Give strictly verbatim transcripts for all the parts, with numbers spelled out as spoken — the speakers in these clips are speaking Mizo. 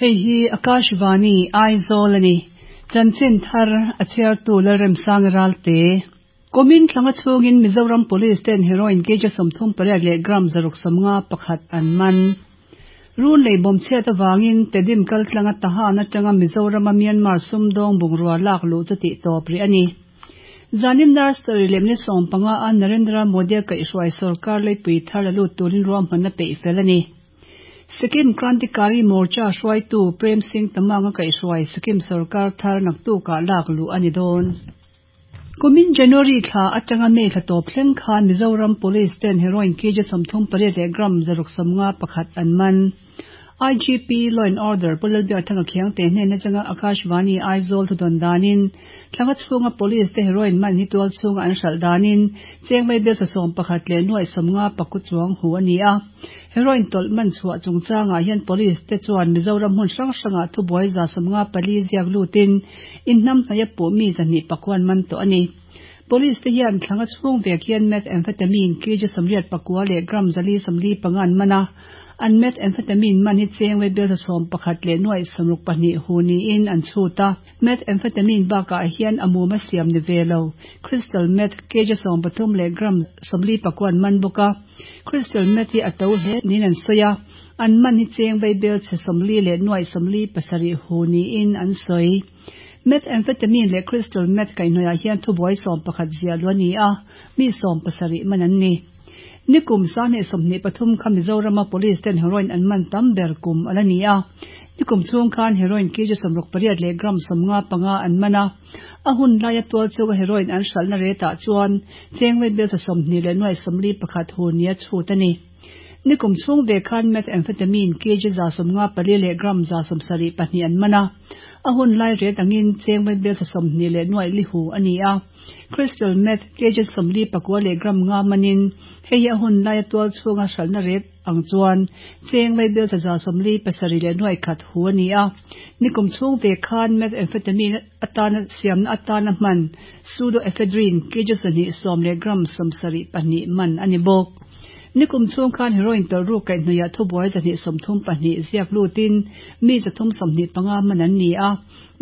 Hei hi Akashvani Aizawl a ni. Chanchin thar a chhiartu Lalremsanga Ralte. Kumin thlanga chhungin Mizoram Police ten heroin kg sawmthum pariat leh gram zaruk sawmnga pakhat an man. Run lei bawm chhiat avangin Tedim kaltlanga Tahan atanga Mizorama Myanmar sumdawng bungrua lak luh chu tih tawp rih a ni. Zanin Nursery lemni sawm panga a Narendra Modi a kaihhruai sorkar leipui thar la lut turin ruahmanna peih fel a ni. Sikkim Krantikari Morcha hruaitu Prem Singh Tamang a kaihhruai Sikkim sorkar thar naktukah lak luh a ni dawn. Kumin January thla atanga May thla tawp thleng khan Mizoram Police ten heroin kg sawmthum pariat leh gram zaruk sawmnga pakhat an man. I G P Law and Order Pu Lalbiakthanga Khiangte hnen atanga Akashvani Aizawl thudawn danin thlanga chhunga Police te heroin man hi tual chhunga an hralh danin chengmei bel sawm pakhat leh nuai sawmnga paku chuang hu a ni a. Heroin tawlh man chhuah chungchangah hian Police te chuan Mizoram hmun hrang hrangah thubuai za sawmnga pali ziak lutin inhnam hnaia puh mi zahnih pakuan man tawh a ni. Police te hian thlanga chhung vek hian methamphetamine kg sawmriat pakua leh gram zali sawmli panga an man a. An methamphetamine man hi chengwei bel sawm pakhat leh nuai sawmruk pahnih hu niin an chhut a. Methamphetamine bakah hian a mum a siam ni ve lo. Crystal meth kg sawm pathum leh gram sawmli pakuan man bawk a. Crystal meth hi a to hle niin an sawi a. An man hi chengwei bel chhe sawmli leh nuai sawmli pasarih hu niin an sawi. Methamphetamine leh crystal meth kaihhnawih hian thubuai sawm pakhat zia lu a ni a, mi sawm pasarih man an ni. Nikum sahnih sawmhnih pathum kha Mizorama Police ten heroin an man tam ber kum a la ni a. Nikum chhung khan heroin kg sawmruk pariat leh gram sawmnga panga an man a. A hun laia tual chunga heroin an hralhna retah chuan chengwei bel sawmhnih leh nuai sawmli pakhat hu nia chhut a ni. Nikum chhung ve khan methamphetamine kg za sawmnga pali leh gram za sawmsarih pahnih an man a. A hun lai ret angin chengwei bel sawmhnih leh nuai li hu a ni a. Crystal meth kg sawmli pakua leh gram nga manin hei a hun laia tual chhunga hralhna ret ang chuan chengwei bel za sawmli pasarih leh nuai khat hu a ni a. Nikum chhung ve khan methamphetamine atana siamna atana hman pseudoephedrine kg zahnih sawm leh gram sawmsarih pahnih man a ni bawk. Nikum chhung khan heroin tawlh ruk kaihhnawih thubuai zahnih sawmthum pahnih ziak lutin mi zathum sawmhnih panga man an ni a.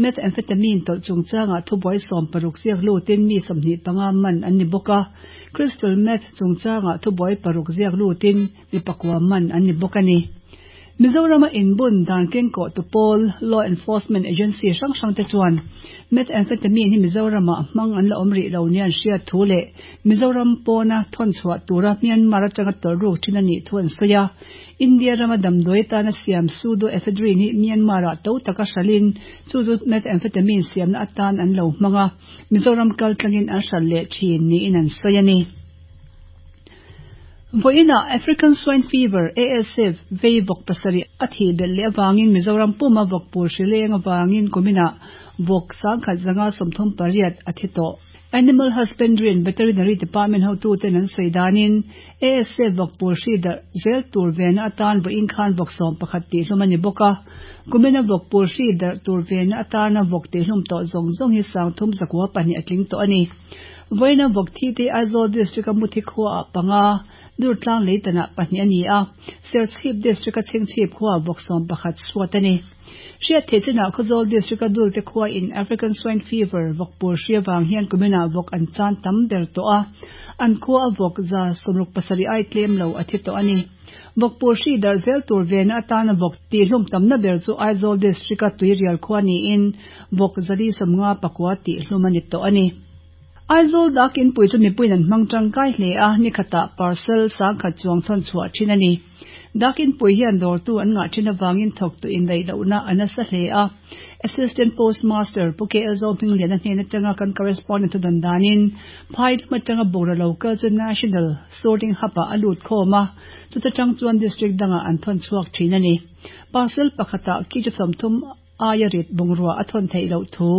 Methamphetamine tawlh chungchangah thubuai sawm paruk ziak lutin mi sawmhnih panga man an ni bawk a. Crystal meth chungchangah thubuai paruk ziak lutin mi pakua man an ni bawk a ni. Mizorama inbun dan kengkawh tu pawl Law Enforcement Agency hrang hrang te chuan methamphetamine hi Mizorama hmang an la awm rih lo nian hriat thu leh Mizoram pawna thawn chhuah tura Myanmar atanga tawlh ruk thin a nih thu an sawi a. India rama damdawi tana siam pseudoephedrine hi Myanmar-ah to taka hralhin chu chu methamphetamine siamna atan an lo hmang a. Mizoram kaltlangin an hralh leh thin niin an sawi a ni. Voina African Swine Fever A S F vei vawk pasarih a thi belh leh awangin Mizoram puma vawk pul hrileng awangin kumina vawk sangkhat zanga sawmthum pariat a thi tawh. Animal Husbandry and Veterinary Department hotu ten an sawi danin A S F vawk pul hri darh zel tur vena atan vawiin khan vawk sawm pakhat tih hlum a ni bawk a. Kumina vawk pul hri darh tur vena atana vawk tih hlum tawh zawng zawng hi sangthum zakua pahnih a tling tawh a ni. Voina vawk thi te Aizawl District a muthi khua ah panga Durtlang leitana pahnih a ni a. Serchhip District a chhingchhip khua vawk sawm pakhat suat a ni. Hriat theih chinah Khawzawl District a dul te khua in African Swine Fever vawk pul hri awang hian kumina vawk an chan tam ber tawh a. An khua a vawk za sawmruk pasarih ai tlem lo a thi tawh a ni. Vawk pul hri darh zel tur vena atana vawk tih hlum tamna ber chu Aizawl District a tuirial khua niin vawk zali sawmnga pakua tih hlum a ni tawh a ni. Aizawl dakin pui chu mipuiin an hmang tangkai hle a, ni khatah parcel sangkhat chuang thawn chhuah thin a ni. Dakin pui hian dawrtu an ngah thin awangin thawk tu indaih lohna a nasa hle a. Assistant Postmaster Pu K L Zohminglian a hnen atanga kan correspondent thu dan danin phai lam atanga bawra local chu National Sorting Hub-ah a lut khawm a, chuta tang chuan district dangah an thawn chhuak thin a ni. Parcel pakhatah kg sawmthum aia rit bungrua a thawn theih loh thu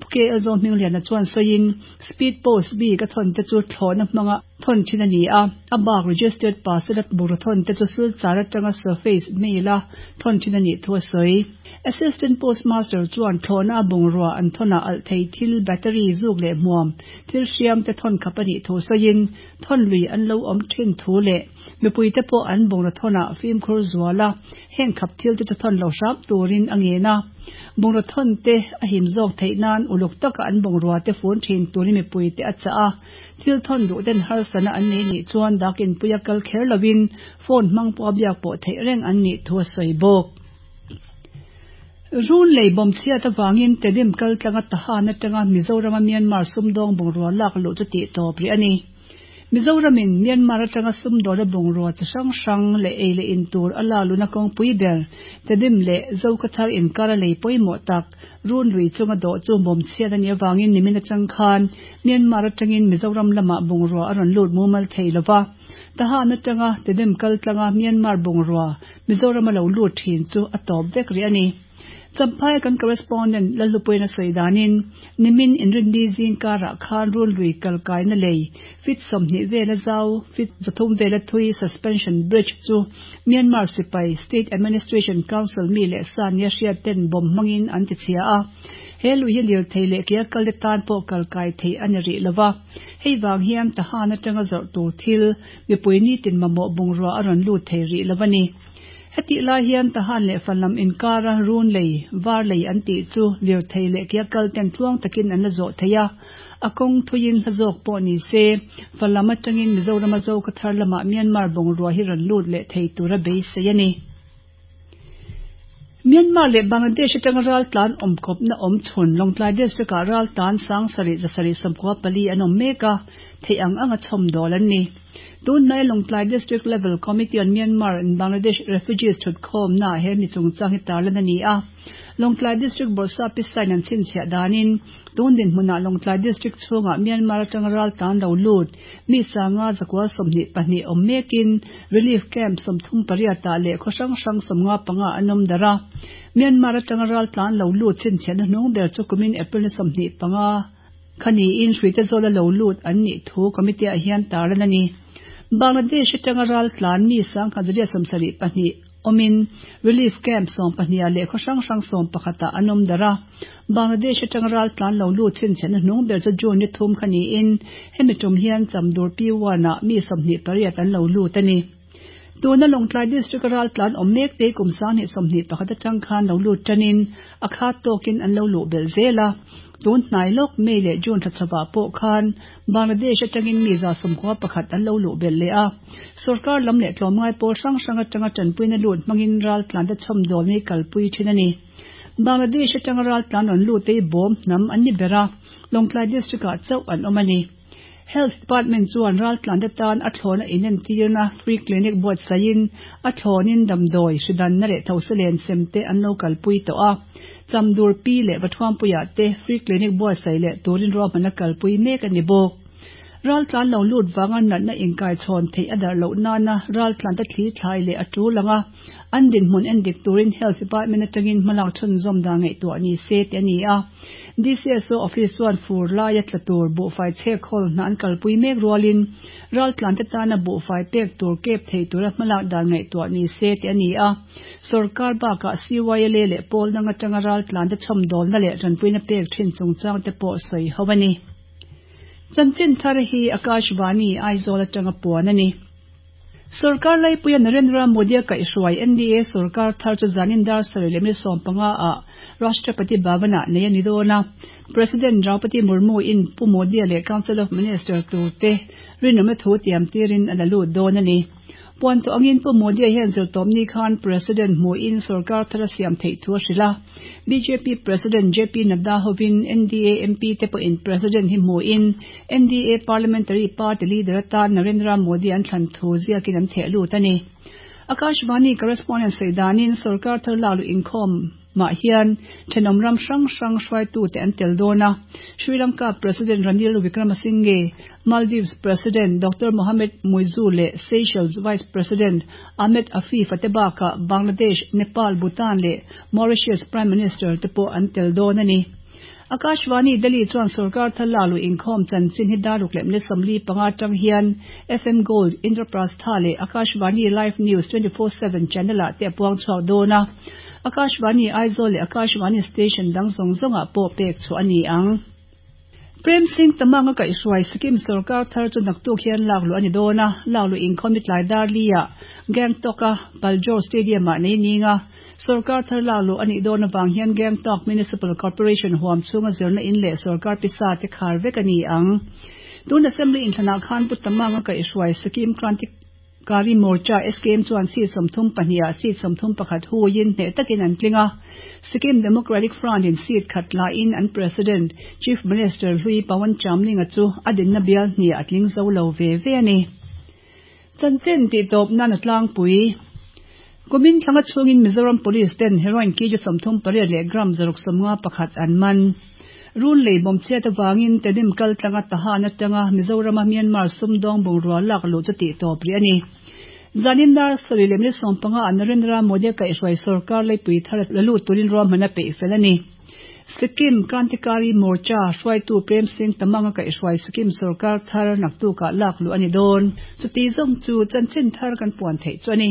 Pu K L Zohminglian a chuan sawiin speed post bik a thawn te chu thlawhna hmanga Thawn thin a ni a, a bak registered parcel a bungraw thawn te chu Silchar atanga surface mail a thawn thin a nih thu a sawi. Assistant Postmaster chuan thlawhna a bungrua an thawnah alh thei thil, battery, zuk leh hmuam thil hriam te thawn khap a nih thu sawiin thawn lui an lo awm thin thu leh mipui te pawh an bungraw thawnah fimkhur zual a, heng khap thil te chu thawn lo hram turin a ngen a. Bungraw thawn te a him zawk theih nan uluk taka an bungrua te fun thin turin mipui te a chah a, thil thawn duh ten harsatna an nei nih chuan dak inpui a kal kher lovin phone hmang pawh a biak pawh theih reng an nih thu a sawi bawk. Run lei bawm chhiat avangin Tedim kal tlanga Tahan atanga Mizorama Myanmar sumdawng bungrua lak luh chu tih tawp rih a ni. Mizoramin Myanmar atanga sumdawna bungrua chi hrang hrang leh ei leh in tur a lak luhna kawngpui ber Tedim leh Zokhawthar inkar a lei pawimawh tak Run lui chunga dawh chu bawm chhiat a nih avangin nimin atang khan Myanmar atangin Mizoram lamah bungrua a rawn lut mumal thei lova. Tahan atanga Tedim kal tlanga Myanmar bungrua Mizorama lo lut thin chu a tawp vek rih a ni. Champhai kan correspondent Lallupuiin a sawi danin nimin inrinni zing karah khan Run lui kalkaina lei feet sawmhnih vela zau feet zathum vela thui suspension bridge chu Myanmar sipai State Administration Council mi leh sa nia hriat ten bawm hmangin an ti chhia a. He lui hi lirthei leh ke a kal te tan pawh kalkai theih a ni rih lova. Hei vang hian Tahan atanga zawrh tur thil mipui nitin mamawh bungrua a rawn lut thei rih lova ni. Hetih lai hian Tahan leh Falam inkara Run lei, Var lei an tih chu lirthei leh ke a kal ten tluang takin an la zawh thei a, a kawng thuiin hla zawk pawh ni se, Falam atangin Mizorama Zokhawthar lamah Myanmar bungrua hi rawn lut leh thei tura beisei a ni. Myanmar leh Bangladesh atanga raltlan awmkawpna awm chhun Lawngtlai District ah raltlan sang sarih zasarih sawmkua pali an awm mek a, theih ang anga chhawmdawl an ni. Tunhnai Lawngtlai District Level Committee on Myanmar and Bangladesh Refugees thutkhawmnaah he mi chungchang hi tarlan a ni a. Lawngtlai District Bawrhsap Pisain an chhinchhiah danin tun dinhmunah Lawngtlai District chhungah Myanmar atanga raltlan lo lut mi sanga zakua sawmhnih pahnih awm mekin relief camp sawmthum pariatah leh khaw hrang hrang sawmnga panga an awm darh a. Myanmar atanga raltlan lo lut chhinchhiahna hnung ber chu kumin April ni sawmhnih panga kha niin hruite zawla lo lut an nih thu committee ah hian tarlan a ni. Bangladesh atanga raltlan mi sangkhat zariat sawmsarih pahnih awmin relief camp sawm pahnih leh khaw hrang hrang sawm pakhatah an awm darh a. Bangladesh atanga raltlan lo lut chhinchhiahna hnung ber chu June ni thum kha niin hemi tum hian Chamdur P one ah mi sawmhnih pariat an lo lut a ni. Tuna Lawngtlai District a raltlan awm mek te kum sanghnih sawmhnih pakhat atang khan lo lut tanin a khat tawkin an lo luh belh zel a. Tun hnai lawk May leh June thla chawah pawh khan Bangladesh atangin mi za sawmkua pakhat an lo luh belh leh a. Sorkar lam leh tlawmngai pawl hrang hrang atanga tanpuina lut hmangin raltlan te chhawmdawl ni kalpui thin a ni. Bangladesh atanga raltlan rawn lut te hi bawm hnam an ni ber a, Lawngtlai District ah chauh an awm a ni. Health Department chuan raltlan te tan a thlawna inentirna free clinic buatsaihin a thlawnin damdawi hridanna leh thosalen sem te an lo kalpui tawh a. Chamdur Pi leh Vathuampuiah te free clinic buatsaih leh turin ruahmanna kalpui mek a ni bawk. Raltlan lo lut vanga natna inkai chhawn theih a darh loh nana raltlan te thli thlai leh a tul anga an dinhmun en dik turin Health Department atangin hmalak chhunzawm dan ngaihtuah ni se tih a ni a. D C S O office chuan fur laia tla tur buhfai chhek hawl hna an kalpui mek rualin raltlan te tana buhfai pek tur kep thei tura hmalak dan ngaihtuah ni se tih a ni a. Sorkar bakah C Y L A leh pawl dang atanga raltlan te chhawmdawlna leh tanpuina pek thin chungchang te pawh sawi ho a ni. Chanchin thar hi Akashvani Aizawl atanga puan a ni. Sorkar laipuia Narendra Modi a kaihhruai N D A sorkar thar chu zanin dar sarih leh mi sawm panga ah Rashtrapati Bhavan ah nei a ni dawn a. President Draupadi Murmu in Pu Modi leh Council of Minister tur te rinawmna thu tiam tirin a la lut dawn a ni. Puan tawh angin Pu Modi hian zirtawpni khan President hmuhin sorkar thar a siam theih thu a hrilh a. B J P President J P Nadda hovin N D A M P te pawhin President hi hmuhin N D A Parliamentary Party leader atan Narendra Modi an thlan thu ziakin an theh lut a ni. Akashvani correspondent sawi danin sorkar thar lak luh inkhawm mah hian thenawm ram hrang hrang hruaitu te an tel dawn a. Sri Lanka President Ranil Wickremesinghe, Maldives President Doctor Mohamed Muizzu leh Seychelles Vice President Ahmed Afif te bakah Bangladesh, Nepal, Bhutan leh Mauritius Prime Minister te pawh an tel dawn a ni. Akashvani Delhi chuan sorkar thar lakluh inkhawm chanchin hi dar ruk leh minute sawmli panga atang hian FM Gold, Indraprastha leh Akashvani Live News twenty four seven channel ah te a puang chhuak dawn a. Akashvani Aizawl leh Akashvani station dang zawng zawngah pawh pek chhuah a ni ang. Prem Singh Tamang a kaihhruai Sikkim sorkar thar chu naktuk hian lakluh a ni dawn a, lakluh inkhawm hi tlai dar li ah Gangtok a Paljor Stadium ah nei ning a. Sorkar thar lakluh a nih dawn avang hian Gangtok Municipal Corporation huam chhunga zirna in leh sorkar pisa te khar vek a ni ang. Tun Assembly inthlanah khan Pu Tamang a kaihhruai Sikkim Krantikari Morcha SKM chuan seat sawmthum pahnih ah seat sawmthum pakhat huiin hneh takin an tling a. Sikkim Democratic Front in seat khat lahin an President, Chief Minister hlui Pawan Chamling-a chu a dinna bial hnih a tling zo lo ve ve a ni. Chanchin tihtawp nan a tlangpui. Kumin thlanga chhungin Mizoram Police ten heroin kg sawmthum pariat leh gram zaruk sawmnga pakhat an man. Run lei bawm chhiat avangin Tedim kal tlanga Tahan atanga Mizorama Myanmar sumdawng bungrua lak luh chu tihtawp rih a ni. Zanin dar sarih leh minute sawm panga ah Narendra Modi a kaihhruai sorkar leipui thar la lut turin ruahman a peih fel a ni. Sikkim Krantikari Morcha hruaitu Prem Singh Tamang a kaihhruai Sikkim sorkar thar naktukah lak luh a ni dawn. Chuti zawng chu chanchin thar kan puan theih chu a ni.